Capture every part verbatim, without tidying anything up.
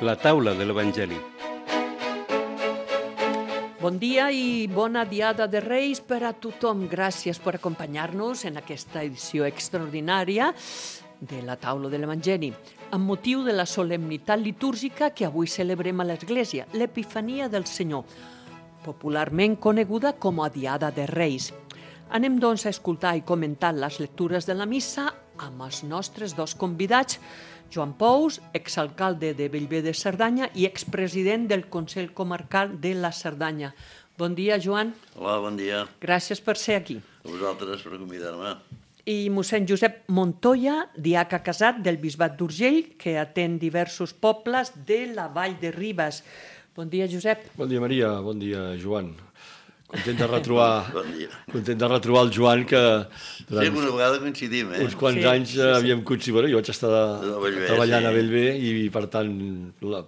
La taula de l'Evangeli. Bon dia i bona diada de Reis per a tothom. Gràcies per acompanyar-nos en aquesta edició extraordinària de la taula de l'Evangeli, amb motiu de la solemnitat litúrgica que avui celebrem a l'Església, l'Epifania del Senyor, popularment coneguda com a Diada de Reis. Anem, doncs, a escoltar i comentar les lectures de la missa amb els nostres dos convidats, Joan Pous, exalcalde de Bellver de Cerdanya i expresident del Consell Comarcal de la Cerdanya. Bon dia, Joan. Hola, bon dia. Gràcies per ser aquí. A vosaltres per convidar-me. I mossèn Josep Montoya, diaca casat del Bisbat d'Urgell, que atén diversos pobles de la Vall de Ribes. Bon dia, Josep. Bon dia, Maria. Bon dia, Joan. Content de retrobar, bon dia. Content de retrobar el Joan, que durant sí, una vegada coincidim, eh? uns quants sí, anys sí, sí. havíem coincidit. Bueno, jo vaig estar de, de Bellver, treballant sí. a Bellver i, per tant,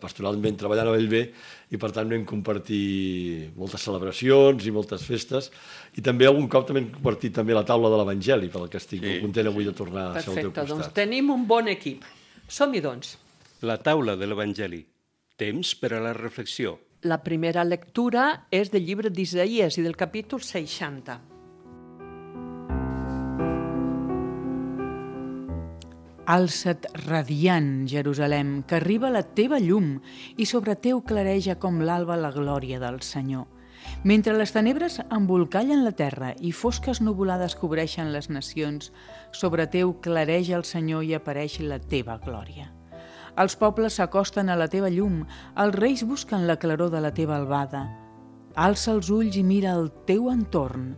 pastoralment treballant a Bellver, i, per tant, vam compartir moltes celebracions i moltes festes, i també algun cop també hem compartit també la taula de l'Evangeli, pel que estic sí, content avui de tornar a ser al teu Perfecte, costat. doncs tenim un bon equip. Som-hi, doncs. La taula de l'Evangeli. Temps per a la reflexió. La primera lectura és del llibre d'Isaïes i del capítol seixanta. Alça't radiant, Jerusalem, que arriba la teva llum i sobre teu clareja com l'alba la glòria del Senyor. Mentre les tenebres embolcallen la terra i fosques nuvolades cobreixen les nacions, sobre teu clareja el Senyor i apareix la teva glòria. Els pobles s'acosten a la teva llum, els reis busquen la claror de la teva albada. Alça els ulls i mira el teu entorn.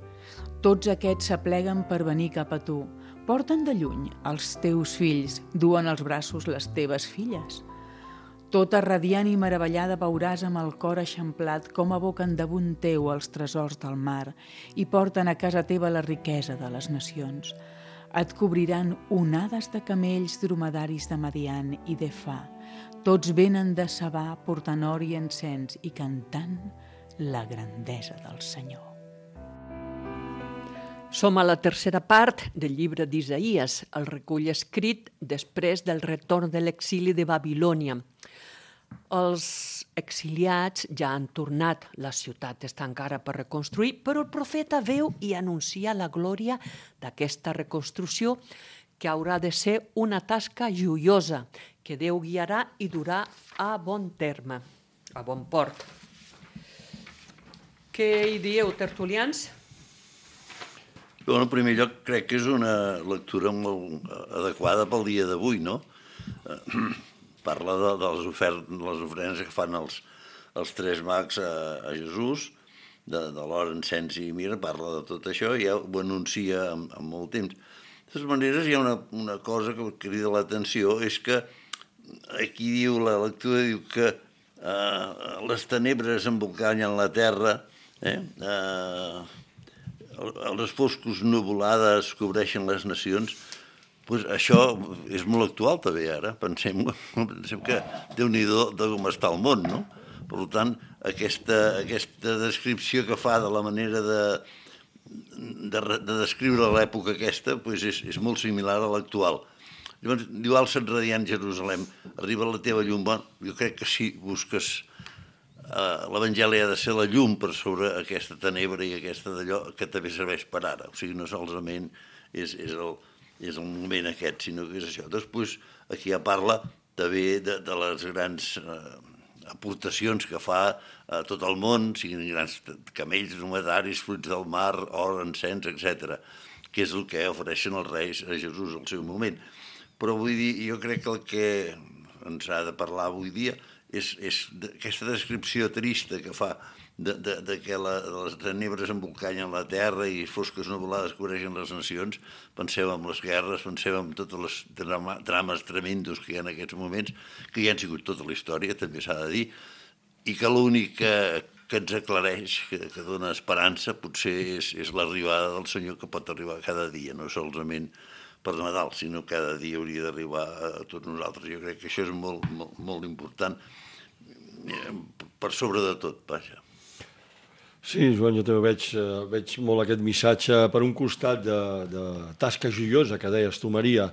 Tots aquests s'apleguen per venir cap a tu. Porten de lluny els teus fills, duen als braços les teves filles. Tota radiant i meravellada veuràs amb el cor eixamplat com aboquen damunt teu els tresors del mar i porten a casa teva la riquesa de les nacions. Et cobriran onades de camells dromedaris de Madian i d'Efà. Tots venen de Sabà portant or i encens i cantant la grandesa del Senyor. Som a la tercera part del llibre d'Isaïes, el recull escrit després del retorn de l'exili de Babilònia. Els exiliats ja han tornat, la ciutat està encara per reconstruir, però el profeta veu i anuncia la glòria d'aquesta reconstrucció, que haurà de ser una tasca joiosa, que Déu guiarà i durà a bon terme, a bon port. Què hi dieu, tertulians? En primer lloc, crec que és una lectura molt adequada pel dia d'avui, no? Parla de, de les, ofert, les ofrenes que fan els, els tres mags a, a Jesús, de, de l'or, encens i mirra, parla de tot això i ja ho anuncia amb, amb molt temps. De totes maneres, hi ha una, una cosa que crida l'atenció, és que aquí diu, la lectura diu que eh, les tenebres embolcallen la terra, eh, eh, les foscos nuvolades cobreixen les nacions. Pues això és molt actual també ara, pensem, pensem que Déu-n'hi-do de com està el món, no? Per tant, aquesta, aquesta descripció que fa de la manera de, de, de descriure l'època aquesta pues és, és molt similar a l'actual. Llavors, diu, alça't radiant Jerusalem, arriba la teva llum. Bueno, jo crec que si busques uh, l'Evangeli ha de ser la llum per sobre aquesta tenebra i aquesta d'allò que també serveix per ara. O sigui, no solament és, és el és el moment aquest, sinó que és això. Després, aquí ja parla també de, de les grans eh, aportacions que fa a tot el món, siguin grans camells, dromedaris, fruits del mar, or, encens, etcètera, que és el que ofereixen els reis a Jesús al seu moment. Però vull dir, jo crec que el que ens ha de parlar avui dia és, és aquesta descripció trista que fa de, de, de que la, les tenebres embolcallen la terra i fosques nuvolades cobreixen les nacions. Penseu en les guerres, penseu en totes les drama, drames tremendos que hi ha en aquests moments, que hi han sigut tota la història, també s'ha de dir, i que l'únic que, que ens aclareix, que, que dona esperança, potser és, és l'arribada del Senyor, que pot arribar cada dia, no solament per Nadal, sinó cada dia hauria d'arribar a tots nosaltres. Jo crec que això és molt, molt, molt important, per sobre de tot, vaja. Sí, Joan, jo també veig, veig molt aquest missatge, per un costat, de, de tasca joiosa, que deies tu, Maria,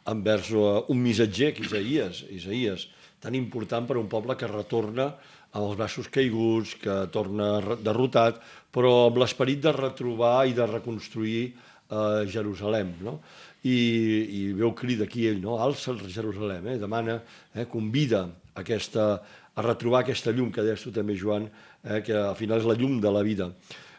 envers un missatger, que Isaïes, Isaïes, tan important per a un poble que retorna amb els braços caiguts, que torna derrotat, però amb l'esperit de retrobar i de reconstruir eh, Jerusalem, no? I, i veu crida aquí ell, no? Alça Jerusalem, eh? Demana, eh? convida aquesta, a retrobar aquesta llum que deies tu també, Joan, eh? que al final és la llum de la vida.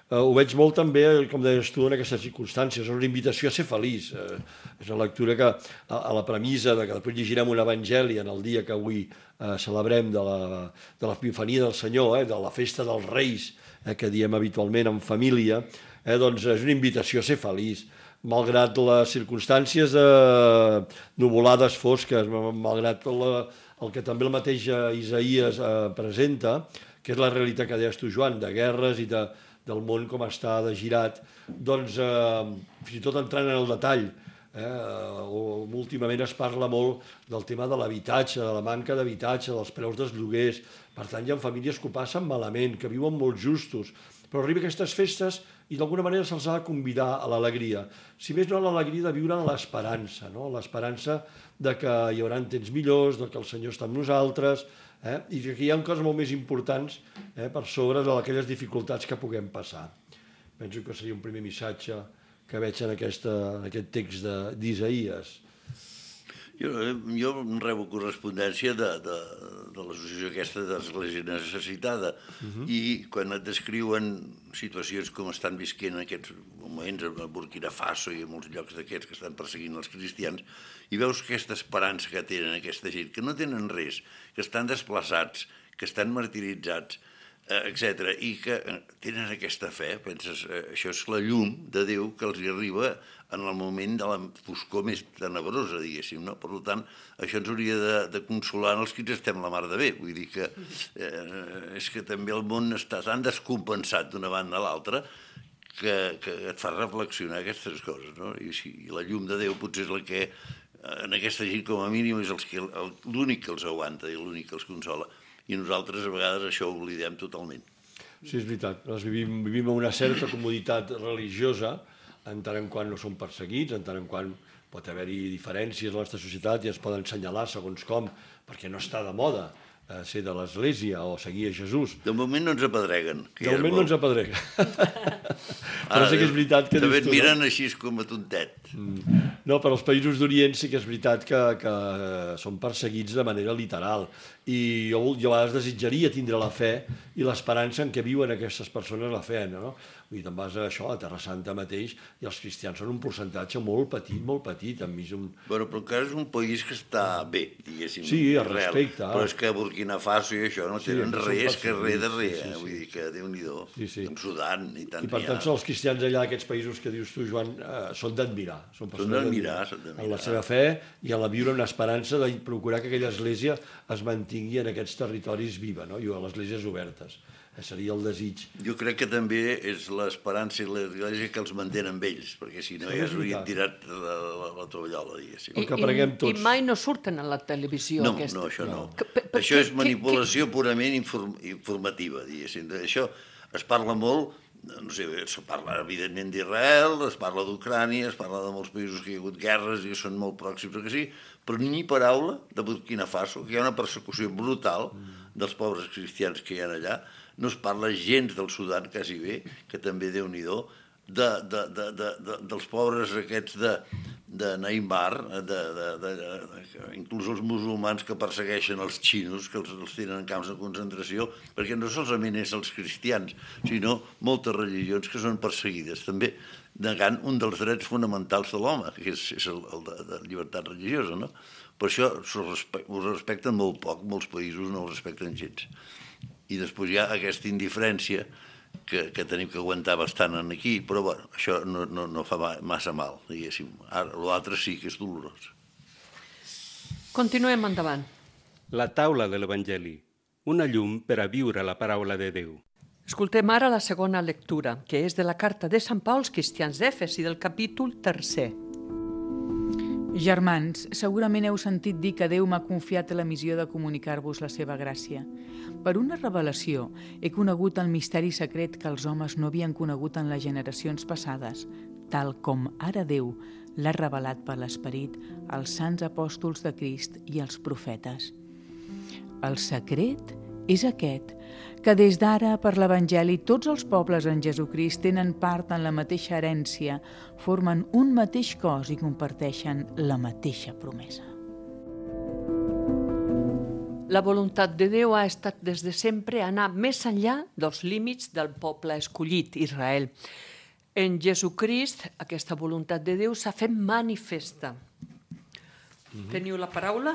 Eh, ho veig molt també, com deies tu, en aquestes circumstàncies, és una invitació a ser feliç. Eh, és una lectura que, a, a la premissa de que després llegirem un evangeli en el dia que avui eh, celebrem de la, de l'Epifania del Senyor, eh, de la festa dels Reis, eh, que diem habitualment en família, eh, doncs és una invitació a ser feliç, malgrat les circumstàncies eh, nuvolades fosques, malgrat la, el que també el mateix Isaïes eh, presenta, que és la realitat que deies tu, Joan, de guerres i de, del món com està de girat, doncs eh, fins i tot entrant en el detall, eh, últimament es parla molt del tema de l'habitatge, de la manca d'habitatge, dels preus dels lloguers. Per tant, hi ha famílies que ho passen malament, que viuen molt justos, però arriba aquestes festes i d'alguna manera se'ls ha de convidar a l'alegria. Si més no, a l'alegria de viure en l'esperança, no? L'esperança de que hi haurà temps millors, de que el Senyor està amb nosaltres, eh? I que hi ha coses molt més importants eh, per sobre d'aquelles dificultats que puguem passar. Penso que seria un primer missatge que veig en, aquesta, en aquest text d'Isaïes. Jo, jo rebo correspondència de, de, de l'associació aquesta d'Església Necessitada uh-huh. i quan et descriuen situacions com estan visquent en aquests moments a Burkina Faso i a molts llocs d'aquests que estan perseguint els cristians i veus aquesta esperança que tenen aquesta gent, que no tenen res, que estan desplaçats, que estan martiritzats, etcètera, i que tenen aquesta fe, penses, això és la llum de Déu que els hi arriba en el moment de la foscor més tenebrosa, diguéssim, no? Per tant, això ens hauria de, de consolar els que ens estem la mar de bé, vull dir que eh, és que també el món està tan descompensat d'una banda a l'altra que, que et fa reflexionar aquestes coses, no? I, si, i la llum de Déu potser és la que en aquesta gent com a mínim és l'únic que els aguanta i l'únic que els consola. I nosaltres a vegades això ho oblidem totalment. Sí, és veritat. Nosaltres vivim, vivim en una certa comoditat religiosa, en tant en quant no som perseguits, en tant en quant pot haver-hi diferències a la nostra societat i es poden assenyalar segons com, perquè no està de moda eh, ser de l'Església o seguir a Jesús. De moment no ens apedreguen. De moment no ens apedreguen. Però sí que és veritat que... També et miren així com a tontet. Mm. No, però els països d'Orient sí que és veritat que, que són perseguits de manera literal. I jo, jo a vegades desitjaria tindre la fe i l'esperança en què viuen aquestes persones la fe, no? Vull dir, te'n vas a això, a Terra Santa mateix, i els cristians són un percentatge molt petit, molt petit, enmig d'un... Bueno, però encara és un país que està bé, diguéssim. Sí, al respecte. Però és que a Burkina Faso i això no tenen sí, res, que res de res, sí, sí, sí. Vull dir que Déu-n'hi-do, sí, sí. en Sudan i tant. I per tant, són els cristians allà, aquests països que dius tu, Joan, eh, són d'admirar. Són d'admirar, són d'admirar. En la seva fe i en la viure una esperança de procurar que aquella església es mantingui en aquests territoris viva, no? I a les esglésies obertes. Seria el desig. Jo crec que també és l'esperança i l'església que els mantenen amb ells, perquè si no ja s'haurien tirat la, la, la tovallola, diguéssim. I, i, I mai no surten a la televisió. No, aquesta. no, això no. Que, per, per, això és que, manipulació que... purament inform, informativa, diguéssim. Això es parla molt, no sé, es parla evidentment d'Israel, es parla d'Ucrània, es parla de molts països que hi ha hagut guerres i que són molt pròxims, que sí, però ni paraula de Burkina Faso, que hi ha una persecució brutal dels pobres cristians que hi ha allà. No es parla gens del Sudan, quasi bé, que també Déu-n'hi-do, de, de, de, de, de, dels pobres aquests de, de Neymar, de, de, de, de, inclús els musulmans que persegueixen els xinos, que els, els tenen en camps de concentració, perquè no solament és els cristians, sinó moltes religions que són perseguides, també negant un dels drets fonamentals de l'home, que és, és el, el de, de llibertat religiosa, no? Per això ho respecten molt poc, molts països no ho respecten gens. I després hi ha aquesta indiferència que, que tenim que aguantar bastant aquí, però bueno, això no, no, no fa massa mal, diguéssim. Ara, l'altre sí que és dolorós. Continuem endavant. La taula de l'Evangeli, una llum per a viure la paraula de Déu. Escoltem ara la segona lectura, que és de la carta de Sant Pau als cristians d'Efes i del capítol tercer. Germans, segurament heu sentit dir que Déu m'ha confiat la missió de comunicar-vos la seva gràcia. Per una revelació he conegut el misteri secret que els homes no havien conegut en les generacions passades, tal com ara Déu l'ha revelat per l'Esperit als sants apòstols de Crist i als profetes. El secret és aquest, que des d'ara per l'Evangeli tots els pobles en Jesucrist tenen part en la mateixa herència, formen un mateix cos i comparteixen la mateixa promesa. La voluntat de Déu ha estat des de sempre anar més enllà dels límits del poble escollit, Israel. En Jesucrist, aquesta voluntat de Déu s'ha fet manifesta. Mm-hmm. Teniu la paraula,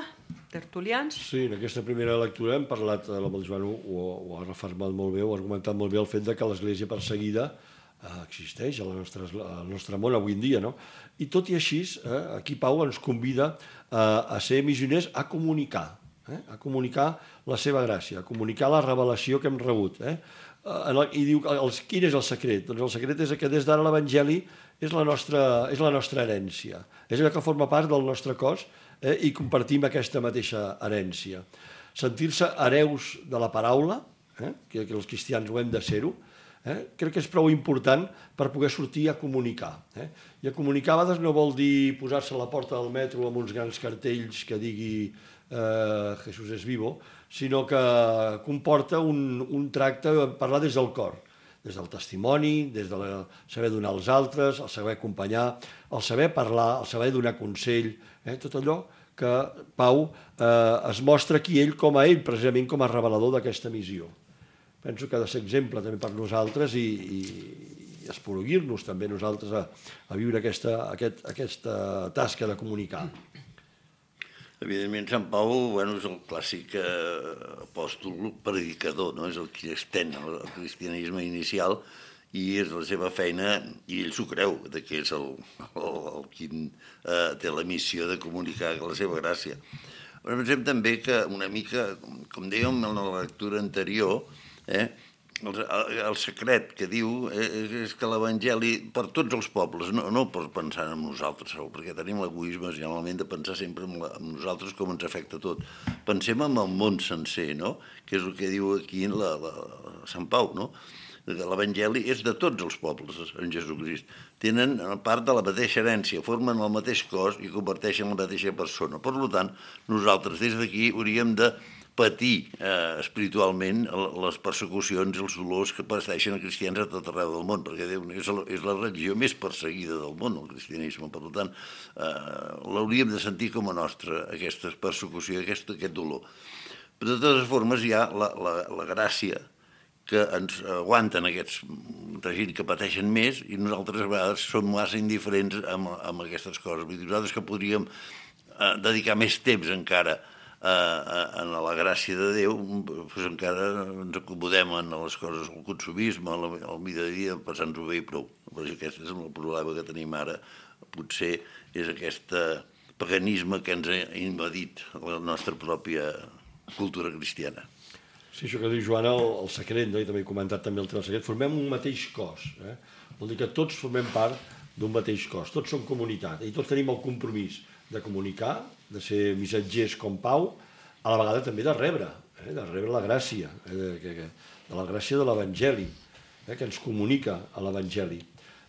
tertulians? Sí, en aquesta primera lectura hem parlat, amb el Joan ho, ho ha refermat molt bé, ho ha argumentat molt bé el fet de que l'Església perseguida eh, existeix al nostre, al nostre món avui en dia, no? I tot i així, eh, aquí Pau ens convida eh, a ser missioners, a comunicar, eh, a comunicar la seva gràcia, a comunicar la revelació que hem rebut. Eh? I diu, els, quin és el secret? Doncs el secret és que des d'ara l'Evangeli és la nostra, és la nostra herència, és allò que forma part del nostre cos, eh, i compartim aquesta mateixa herència. Sentir-se hereus de la paraula, eh, que, que els cristians ho hem de ser-ho, eh, crec que és prou important per poder sortir a comunicar. Eh? I a comunicar a vegades no vol dir posar-se a la porta del metro amb uns grans cartells que digui eh, Jesús és vivo, sinó que comporta un, un tracte, parlar des del cor, des del testimoni, des del de saber donar als altres, el saber acompanyar, el saber parlar, el saber donar consell, eh? Tot allò que Pau eh, es mostra aquí ell com a ell, precisament com a revelador d'aquesta missió. Penso que ha de ser exemple també per nosaltres i, i, i esporuguir-nos també nosaltres a, a viure aquesta, aquest, aquesta tasca de comunicar. Evidentment, Sant Pau, bueno, és el clàssic eh, apòstol predicador, no? És el qui estén el cristianisme inicial i és la seva feina, i ell s'ho creu, de que és el, el, el qui eh, té la missió de comunicar la seva gràcia. Però pensem també que una mica, com dèiem en la lectura anterior, eh, el, el secret que diu és que l'Evangeli per tots els pobles, no, no per pensar en nosaltres sol, perquè tenim l'egoisme generalment de pensar sempre en, la, en nosaltres com ens afecta tot. Pensem en el món sencer, no? Que és el que diu aquí la, la, Sant Pau, no? L'Evangeli és de tots els pobles en Jesucrist. Tenen part de la mateixa herència, formen el mateix cos i converteixen la mateixa persona. Per tant, nosaltres des d'aquí hauríem de patir eh, espiritualment les persecucions i els dolors que pateixen els cristians a tot arreu del món, perquè és la, és la religió més perseguida del món, el cristianisme. Per tant, eh, l'hauríem de sentir com a nostra, aquesta persecució, aquest, aquest dolor. Però de totes formes hi ha la, la, la gràcia que ens aguanten aquests gent que pateixen més i nosaltres a vegades som massa indiferents amb, amb aquestes coses. Nosaltres que podríem eh, dedicar més temps encara en la gràcia de Déu, doncs encara ens acomodem en les coses, el consumisme, el vida a dia, passant-ho bé i prou. Però aquest és el problema que tenim ara. Potser és aquest paganisme que ens ha invadit la nostra pròpia cultura cristiana. Sí, això que diu Joana, el, el secret, no? I també he comentat també el tema del secret, formem un mateix cos. Eh? Vol dir que tots formem part d'un mateix cos, tots som comunitat i tots tenim el compromís de comunicar, de ser missatgers com Pau, a la vegada també de rebre, eh, de rebre la gràcia, eh, de, de, de la gràcia de l'Evangeli, eh, que ens comunica a l'Evangeli.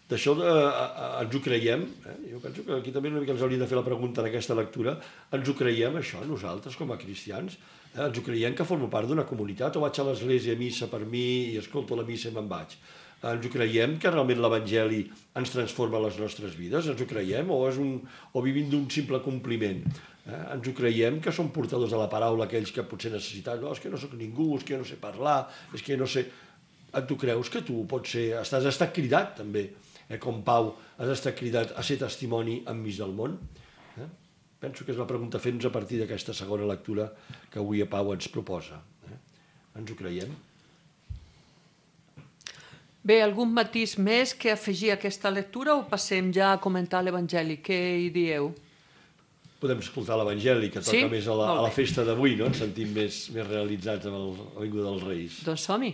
D'això de, a, a, ens ho creiem, eh? Jo penso que aquí també una mica ens hauríem de fer la pregunta en aquesta lectura, ens ho creiem això nosaltres com a cristians, eh? Ens ho creiem que formo part d'una comunitat o vaig a l'església a missa per mi i escolto la missa i me'n vaig. Ens ho creiem que realment l'Evangeli ens transforma les nostres vides? Ens ho creiem? O, és un, o vivim d'un simple compliment? Eh? Ens ho creiem que som portadors de la paraula aquells que potser necessiten? No, és que no sóc ningú, és que jo no sé parlar, és que no sé... Tu creus que tu pots ser... Estàs, has estat cridat també, eh? Com Pau, has estat cridat a ser testimoni enmig del món? Eh? Penso que és la pregunta a fer-nos a partir d'aquesta segona lectura que avui a Pau ens proposa. Eh? Ens ho creiem? Bé, algun matís més que afegir a aquesta lectura o passem ja a comentar l'Evangeli? Què hi dieu? Podem escoltar l'Evangeli, que toca sí? més a la, a la festa d'avui, no? Ens sentim més, més realitzats amb el, la vinguda dels Reis. Doncs som-hi.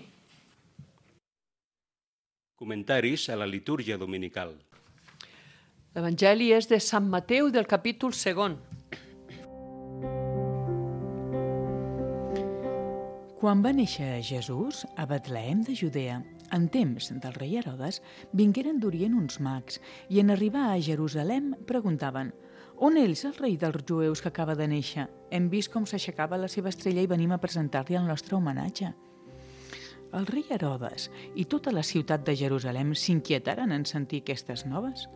Comentaris a la litúrgia dominical. L'Evangeli és de Sant Mateu del capítol segon. Quan va néixer Jesús a Betlehem de Judea, En temps del rei Herodes, vingueren d'Orient uns mags i en arribar a Jerusalem preguntaven: «On és el rei dels jueus que acaba de néixer? Hem vist com s'aixecava la seva estrella i venim a presentar-li el nostre homenatge». El rei Herodes i tota la ciutat de Jerusalem s'inquietaren en sentir aquestes noves.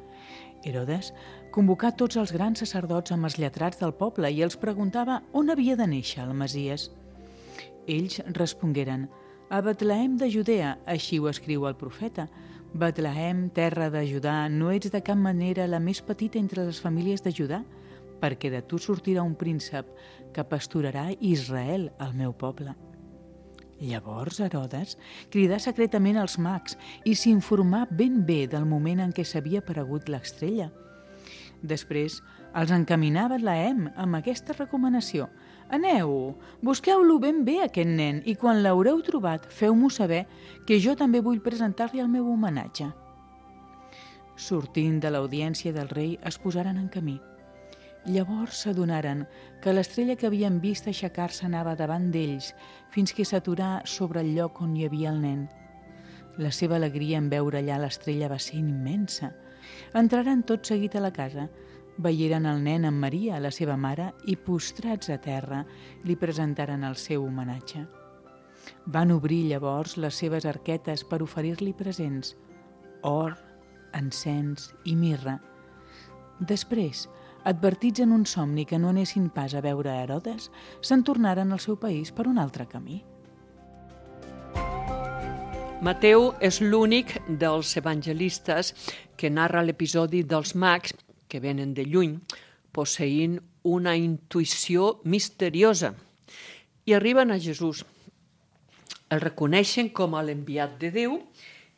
Herodes convocà tots els grans sacerdots amb els lletrats del poble i els preguntava on havia de néixer el Messies. Ells respongueren: «A Betlehem de Judea, així ho escriu el profeta. Betlehem, terra de Judà, no ets de cap manera la més petita entre les famílies de Judà, perquè de tu sortirà un príncep que pasturarà Israel, el meu poble». Llavors Herodes cridà secretament als mags i s'informà ben bé del moment en què s'havia aparegut l'estrella. Després els encaminava a Betlehem amb aquesta recomanació: «Aneu, busqueu-lo ben bé, aquest nen, i quan l'haureu trobat, feu-m'ho saber, que jo també vull presentar-li el meu homenatge». Sortint de l'audiència del rei, es posaren en camí. Llavors s'adonaren que l'estrella que havien vist aixecar-se anava davant d'ells fins que s'aturà sobre el lloc on hi havia el nen. La seva alegria en veure allà l'estrella va ser immensa. Entraren tot seguit a la casa, veieren el nen amb Maria, la seva mare, i postrats a terra li presentaren el seu homenatge. Van obrir llavors les seves arquetes per oferir-li presents: or, encens i mirra. Després, advertits en un somni que no anessin pas a veure Herodes, se'n tornaren al seu país per un altre camí. Mateu és l'únic dels evangelistes que narra l'episodi dels mags que venen de lluny, posseint una intuïció misteriosa, i arriben a Jesús. El reconeixen com a l'enviat de Déu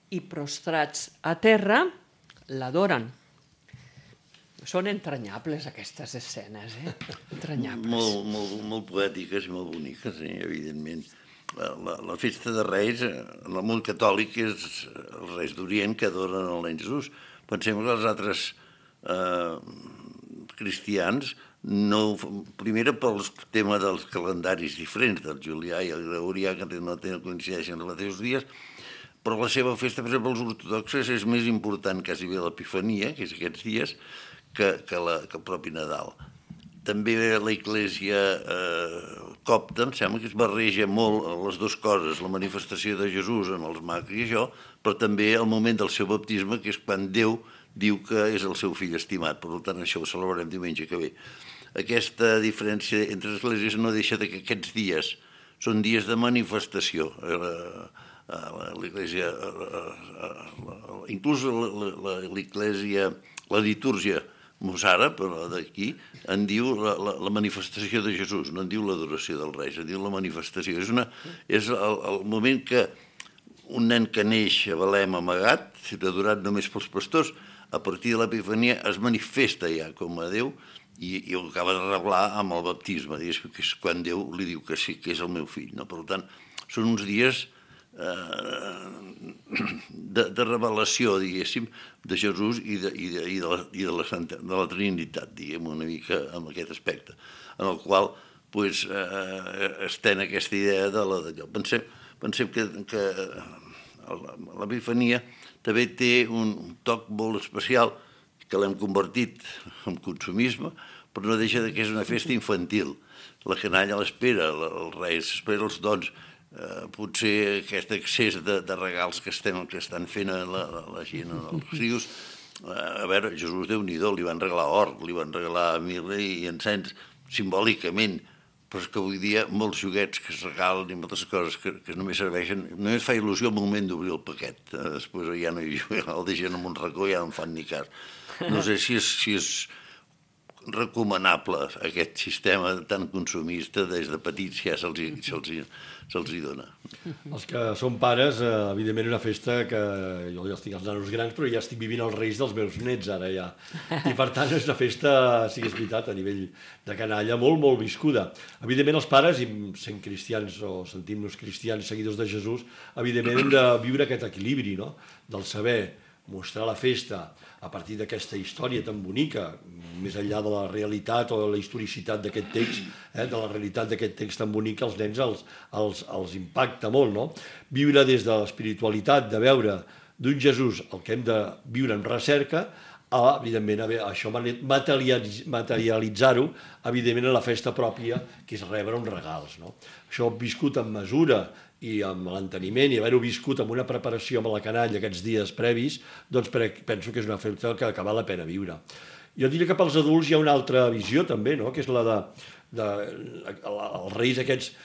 i, prostrats a terra, l'adoren. Són entranyables aquestes escenes, eh? Entranyables. Molt, molt, molt poètiques i molt boniques, eh? Evidentment. La, la, la festa de Reis, en el món catòlic, és els Reis d'Orient que adoren el nen Jesús. Pensem que els altres eh, cristians, no, primera pel tema dels calendaris diferents, del julià i el gregorià, que no coincideixen els mateixos dies, però la seva festa, per exemple, els ortodoxes, és més important quasi bé l'Epifania, que és aquests dies, que, que, la, que el propi Nadal. També la Iglésia eh, copta, em sembla que es barreja molt les dues coses, la manifestació de Jesús en els mags i això, però també el moment del seu baptisme, que és quan Déu diu que és el seu fill estimat. Per tant, això ho celebrarem diumenge que ve. Aquesta diferència entre les esglésies no deixa de que aquests dies són dies de manifestació. L'Iglésia, inclús l'Iglésia, la litúrgia mossàrab, però d'aquí, en diu la, la, la manifestació de Jesús, no en diu l'adoració dels Reis, en diu la manifestació. És, una, és el, el moment que un nen que neix a Belém amagat, adorat només pels pastors, a partir de l'Epifania es manifesta ja com a Déu i, i ho acaba de revelar amb el baptisme, que és quan Déu li diu que sí, que és el meu fill. No? Per tant, són uns dies eh, de, de revelació, diguéssim, de Jesús i de, i de, i de, la, i de, la, Santa, de la Trinitat, diguem, una mica amb aquest aspecte, en el qual pues, eh, estén aquesta idea de la d'allò. Pensem, pensem que, que l'Epifania també té un toc molt especial que l'hem convertit en consumisme, però no deixa que és una festa infantil. La canalla l'espera, els Reis espera els dons, eh, potser aquest excés de, de regals que, estem, que estan fent la, la, la gent els rius. Eh, a veure, Jesús, Déu-n'hi-do, li van regalar or, li van regalar mirra i encens, simbòlicament, però és que avui dia molts joguets que es regalen i moltes coses que, que només serveixen, només fa il·lusió el moment d'obrir el paquet, eh, després ja no hi el deixen en un racó i ja no en fan ni cas. No sé si és, si és recomanable aquest sistema tan consumista des de petits ja se'ls se se hi dona. Els que són pares, eh, evidentment una festa que jo ja estic als nanos grans, però ja estic vivint els reis dels meus nets ara ja. I per tant és una festa, sí que és veritat, a nivell de canalla, molt, molt viscuda. Evidentment els pares, i sent cristians o sentim-nos cristians, seguidors de Jesús, evidentment hem de viure aquest equilibri, no? Del saber mostrar la festa a partir d'aquesta història tan bonica, més enllà de la realitat o de la historicitat d'aquest text, eh, de la realitat d'aquest text tan bonic, els nens els, els, els impacta molt, no? Viure des de l'espiritualitat, de veure d'un Jesús el que hem de viure en recerca, a, evidentment, a això materialitzar-ho, evidentment, en la festa pròpia, que és rebre uns regals, no? Això viscut amb mesura i amb l'enteniment i haver-ho viscut amb una preparació amb la canalla aquests dies previs, doncs penso que és una festa que, que val la pena viure. Jo diria que pels adults hi ha una altra visió també, no? Que és la de, de els reis aquests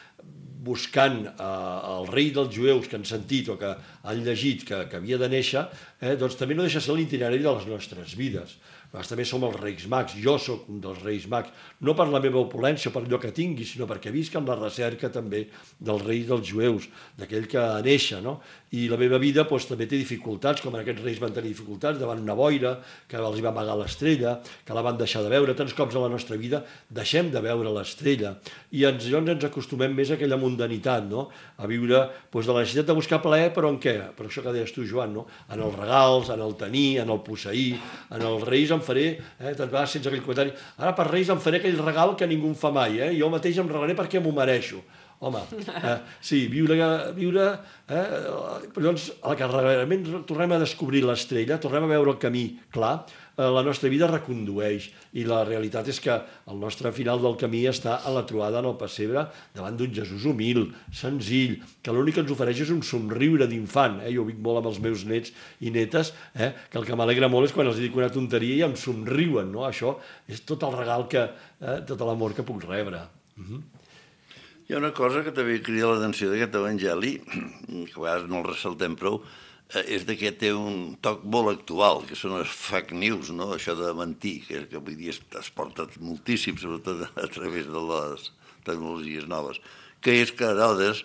buscant eh, el rei dels jueus que han sentit o que han llegit que, que havia de néixer, eh, doncs també no deixa ser l'itinerari de les nostres vides. Nosaltres també som els reis mags, jo sóc un dels reis mags, no per la meva opulència o per allò que tingui, sinó perquè visc en la recerca també dels reis dels jueus, d'aquell que néixer, no? I la meva vida doncs, també té dificultats, com aquests reis van tenir dificultats davant una boira, que els va amagar l'estrella, que la van deixar de veure. Tants cops a la nostra vida deixem de veure l'estrella i ens, llavors ens acostumem més a aquella mundanitat, no? A viure doncs, de la necessitat de buscar plaer, però en què? Per això que deies tu, Joan, no? En els regals, en el tenir, en el posseir, en els reis em faré, eh, tant vegades sense aquell comentari, ara per reis em faré aquell regal que ningú em fa mai, eh? Jo mateix em regalaré perquè m'ho mereixo. Home, eh, sí, viure, viure eh, llavors, al que realment tornem a descobrir l'estrella, tornem a veure el camí clar, eh, la nostra vida recondueix i la realitat és que el nostre final del camí està a la trobada en el pessebre davant d'un Jesús humil, senzill, que l'únic que ens ofereix és un somriure d'infant. Eh? Jo ho dic molt amb els meus nets i netes, eh? Que el que m'alegra molt és quan els dic una tonteria i em somriuen, no? Això és tot el regal, que, eh, tot l'amor que puc rebre. Uh-huh. Hi ha una cosa que també crida l'atenció d'aquest evangeli, que a vegades no el ressaltem prou, és que té un toc molt actual, que són les fake news, no? Això de mentir, que, que avui dia es, es porta moltíssim, sobretot a través de les tecnologies noves, que és que Herodes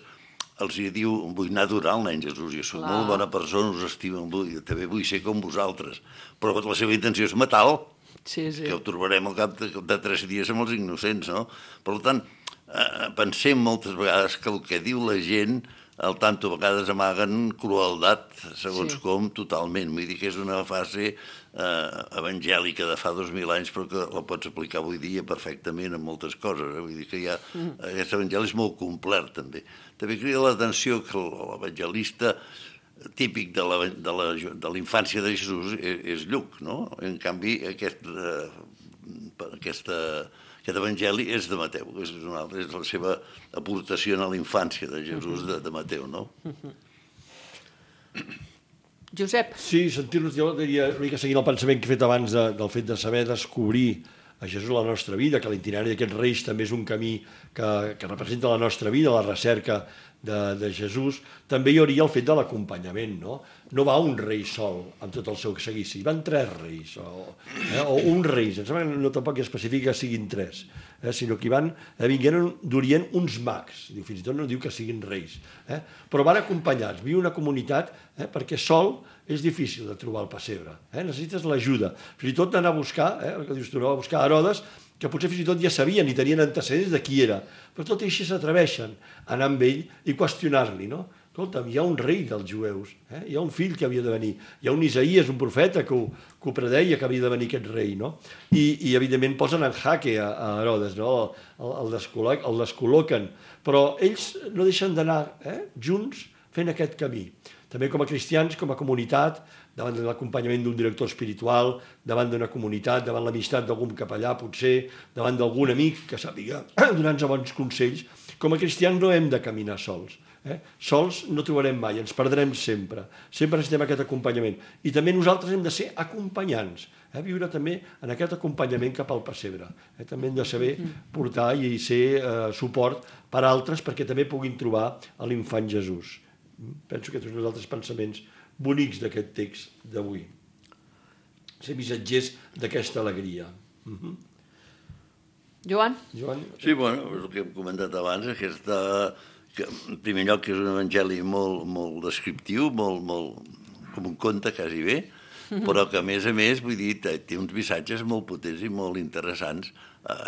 els hi diu, vull anar a adorar el nen Jesús, jo soc molt bona persona, us estimo, vull, també vull ser com vosaltres, però la seva intenció és matar-lo, sí, sí. Que ho trobarem al cap de, de tres dies amb els innocents, no? Per tant, eh, pensem moltes vegades que el que diu la gent, al tanto a vegades amaguen crueldat, segons sí. Com, totalment. Vull dir que és una fase eh, evangèlica de fa dos mil anys, però que la pots aplicar avui dia perfectament en moltes coses. Eh? Vull dir que ja, mm. aquest evangeli és molt complet, també. També crida l'atenció que l'evangelista típic de la, de la, de la infància de Jesús és, és Lluc, no? En canvi, aquest, eh, aquesta... Aquest evangeli és de Mateu, és, una, és la seva aportació a la infància de Jesús de, de Mateu, no? Josep. Sí, sentir-nos, jo diria, una mica seguint el pensament que he fet abans de, del fet de saber descobrir a Jesús la nostra vida, que l'itinerari d'aquests reis també és un camí que, que representa la nostra vida, la recerca de, de Jesús, també hi hauria el fet de l'acompanyament, no? No va un rei sol amb tot el seu seguici, van tres reis, o, eh, o un rei, em sembla que no tampoc especifica que siguin tres, eh, sinó que hi van, eh, vingueren d'Orient uns mags, diu, fins i tot no diu que siguin reis, eh, però van acompanyats, viu una comunitat, eh, perquè sol és difícil de trobar el pessebre, eh, necessites l'ajuda, fins i tot d'anar a buscar, eh, el que dius tu, no, a buscar Herodes, que potser fins i tot ja sabien i tenien antecedents de qui era, però tot i així s'atreveixen a anar amb ell i qüestionar-li, no? Escolta'm, hi ha un rei dels jueus, eh? Hi ha un fill que havia de venir, hi ha un Isaías, un profeta que ho, que ho predeia que havia de venir aquest rei, no? I, i evidentment posen en jaque a, a Herodes, no? El, el, descol·loquen, el descol·loquen, però ells no deixen d'anar eh? junts fent aquest camí. També com a cristians, com a comunitat, davant de l'acompanyament d'un director espiritual, davant d'una comunitat, davant l'amistat d'algun capellà, potser, davant d'algun amic que sàpiga donar-nos bons consells, com a cristians no hem de caminar sols. Eh? Sols no trobarem mai, ens perdrem sempre. Sempre necessitem aquest acompanyament. I també nosaltres hem de ser acompanyants, eh? Viure també en aquest acompanyament cap al pessebre. Eh? També hem de saber portar i ser eh, suport per a altres perquè també puguin trobar a l'infant Jesús. Penso que tots els altres pensaments bonics d'aquest text d'avui. Ser missatgers d'aquesta alegria. Uh-huh. Joan? Joan? Sí, bueno, el que hem comentat abans, aquesta, que, en primer lloc, que és un evangeli molt, molt descriptiu, molt, molt, com un conte, quasi bé, però que, a més a més, vull dir, té uns missatges molt potents i molt interessants.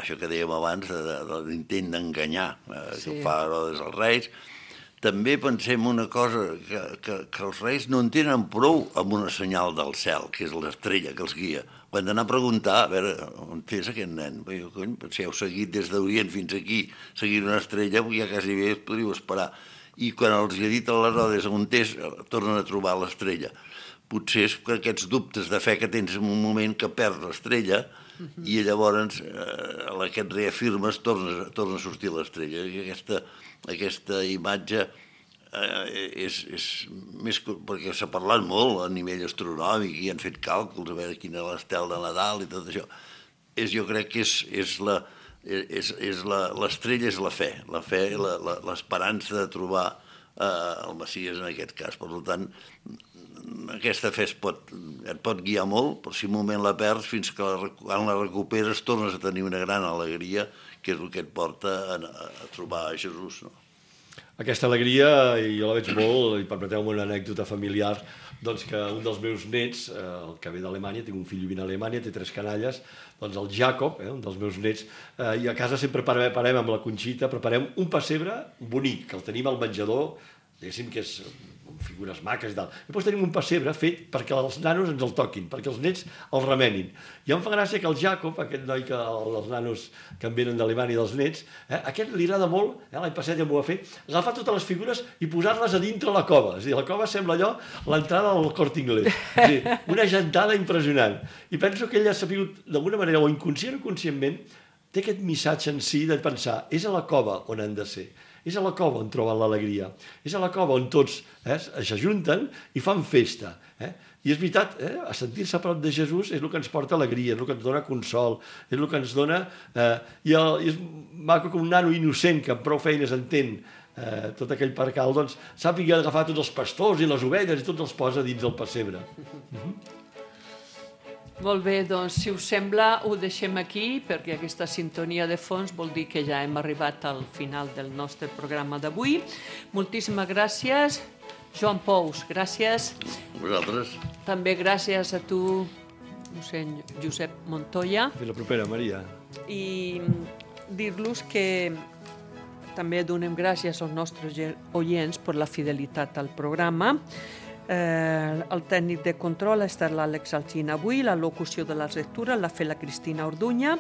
Això que dèiem abans, de, de, de l'intent d'enganyar, eh, sí. Que fa Herodes als reis. també pensem una cosa, que, que, que els reis no en tenen prou amb una senyal del cel, que és l'estrella que els guia. Ho han d'anar a preguntar, a veure, on és aquest nen? Jo, cony, si heu seguit des d'Orient fins aquí, seguint una estrella, ja quasi bé podríeu esperar. I quan els ha dit a l'Herodes on és, tornen a trobar l'estrella. Potser és que aquests dubtes de fe que tens en un moment que perds l'estrella, uh-huh. i llavors eh, a la que et reafirmes torna, torna a sortir l'estrella. I aquesta, aquesta imatge eh, és, és més... perquè s'ha parlat molt a nivell astronòmic i han fet càlculs a veure quina és l'estel de Nadal i tot això. És, jo crec que és, és la... És, és la, l'estrella és la fe, la fe, la, la, l'esperança de trobar eh, el Messies en aquest cas. Per tant, aquesta fe es pot, et pot guiar molt, però si un moment la perds, fins que la, quan la recuperes tornes a tenir una gran alegria, que és el que et porta a, a trobar a Jesús. No? Aquesta alegria, jo la veig molt, i permeteu-me una anècdota familiar, doncs que un dels meus nets, eh, el que ve d'Alemanya, tinc un fill vivint a Alemanya, té tres canalles, doncs el Jacob, eh, un dels meus nets, eh, i a casa sempre preparem amb la Conxita, preparem un pessebre bonic, que el tenim al menjador, diguéssim que és amb figures maques i tal. I després tenim un pessebre fet perquè els nanos ens el toquin, perquè els nets el remenin. I em fa gràcia que el Jacob, aquest noi que els nanos que en venen d'Alemanya i dels nets, eh, aquest li agrada molt, eh, l'any passat ja m'ho va fer, agafar totes les figures i posar-les a dintre la cova. És a dir, la cova sembla allò l'entrada del Corte Inglés. És a dir, una gentada impressionant. I penso que ell ha sabut, d'alguna manera, o inconscient o conscientment, té aquest missatge en si de pensar, és a la cova on han de ser. És a la cova on troben l'alegria. És a la cova on tots eh, s'ajunten i fan festa. Eh? I és veritat, eh, a sentir-se a prop de Jesús és el que ens porta alegria, és el que ens dona consol, és el que ens dona... Eh, i, el, I és maco que un nano innocent que amb prou feines entén eh, tot aquell percal, doncs sàpiga agafar tots els pastors i les ovelles i tots els posa dins del pessebre. Mm-hmm. Molt bé, doncs, si us sembla, ho deixem aquí, perquè aquesta sintonia de fons vol dir que ja hem arribat al final del nostre programa d'avui. Moltíssimes gràcies. Joan Pous, gràcies. Vosaltres. També gràcies a tu, mossèn Josep Montoya. Fins la propera, Maria. I dir-los que també donem gràcies als nostres oients per la fidelitat al programa. Eh, el tècnic de control ha estat l'Àlex Alsina avui, la locució de les lectures l'ha fet la Cristina Orduña,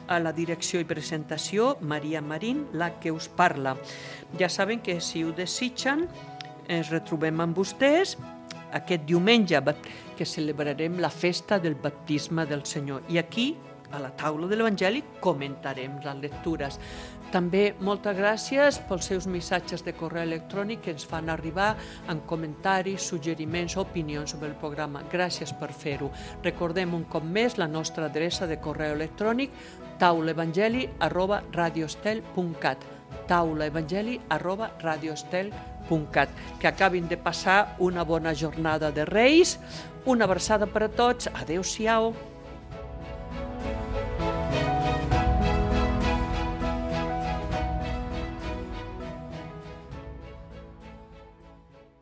a la direcció i presentació Maria Marín, la que us parla. Ja saben que si ho desitgen ens retrobem amb vostès aquest diumenge que celebrarem la festa del baptisme del Senyor i aquí a la taula de l'Evangeli comentarem les lectures. També moltes gràcies pels seus missatges de correu electrònic que ens fan arribar amb comentaris, suggeriments, opinions sobre el programa. Gràcies per fer-ho. Recordem un cop més la nostra adreça de correu electrònic taulaevangeli arroba radiostel punt cat taulaevangeli arroba radiostel punt cat. Que acabin de passar una bona jornada de Reis. Una abraçada per a tots. Adéu-siau.